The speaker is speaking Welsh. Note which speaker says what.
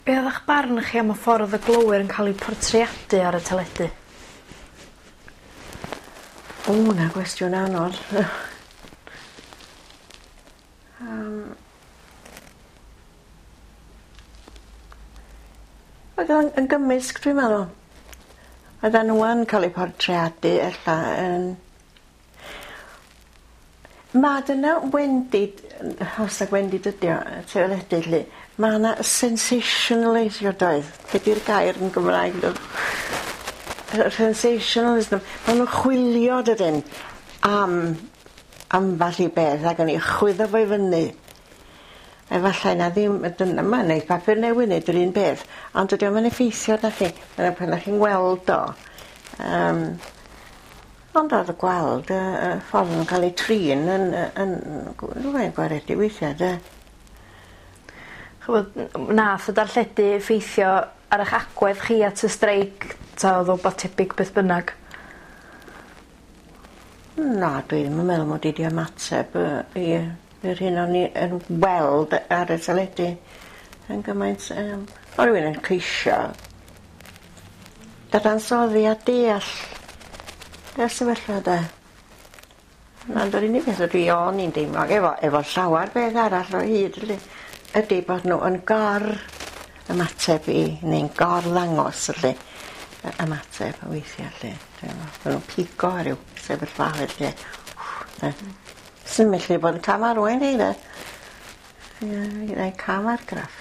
Speaker 1: Be' o'dd 'ych barn chi am y ffordd o'dd y glowyr yn ca'l eu portreadu ar y teledu?
Speaker 2: O 'na gwestiwn anodd. Oedd o'n yn gymysg dwi'n meddwl. Oeddan n'w yn ca'l eu portreadu ella yn... Ma' dyna wendid os nag wendid ydi o y teledu 'lly ma' 'na sensationaleisio doedd? Be' 'di'r gair yn Gymraeg nawr? Sensationalism. Ma' nw'n chwilio dydyn am amball i beth ag yn 'i chwyddo fo i fyny. Efallai na ddim y dyna ma' neith papur newydd neud yr un peth ond dydi o'm yn effeithio arnach chi dyna pan 'dach chi'n weld o. Yym ond o'dd y gweld y y ffordd o'n ca'l eu trin yn yy yn rywfaint gwaredu weithia' 'de?
Speaker 1: Ch'mod nath y darlledu effeithio ar 'ych agwedd chi at y streic ta o'dd o wbath tebyg beth bynnag?
Speaker 2: Na dwi ddim yn meddwl mod i 'di ymateb yy i Yr hyn o'n i yn weld ar y teledu yn gymaint yym o' rywun yn ceisio dadansoddi a deall y sefyllfa 'de? Ond yr unig beth ydw i o'n i'n deimlo efo efo llawar beth arall o hyd 'lly ydi bod n'w yn gor ymateb i neu'n gor ddangos felly y ymateb weithia' 'lly. T'mo' ma' nw'n pigo ar ryw sefyllfaoedd lle 'de? Sy'n gallu bod yn cam arwain fi 'de? Ie neu cam argraff.